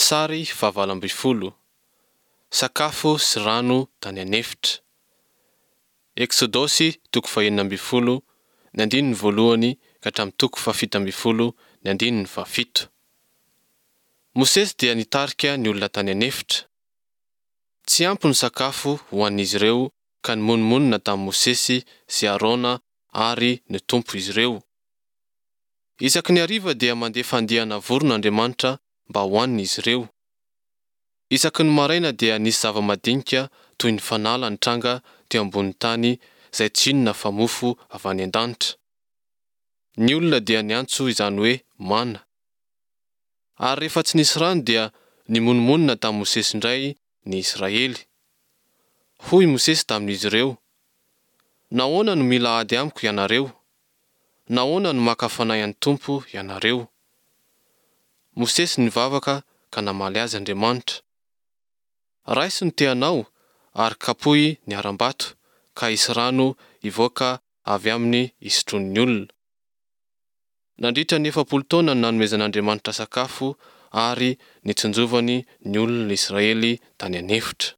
Sary fahavalo ambin'ny folo, Sakafo sy rano tany an'efitra. Eksodosy toko fahenina ambin'ny folo, ny andininy voalohany ka hatramin'ny toko fahafito ambin'ny folo, ny andininy fahafito. Mosesy dia nitarika ny olona tany an'efitra. Tsy ampy ny sakafo ho an'izy ireo ka nimonomonona tamin'i Mosesy sy Arona ary ny Tompo izy ireo. Isaky ny hariva dia mandefa andiana vorona Andriamanitra mba hohanin'izy ireo. Isaky ny maraina dia nisy zava-madinika toy ny fanala nitranga teo ambonin'ny tany izay tsy inona fa mofo avy any an-danitra. Ny olona dia niantso izany hoe mana. Ary rehefa tsy nisy rano dia nimonomonona tamin'i Mosesy indray ny Israely. Hoy i Mosesy tamin'izy ireo, Nahoana no mila ady amiko ianareo? Nahoana no maka fanahy an'ny Tompo ianareo? Mosesy nivavaka ka namaly azy Andriamanitra. Raiso ny tehanao ary kapohy ny harambato ka hisy rano hivoaka avy aminy hisotroin'ny olona. Nandritra ny 40 taona no nanomezan'Andriamanitra sakafo ary nitsinjovany ny olon'Israely tany an'efitra.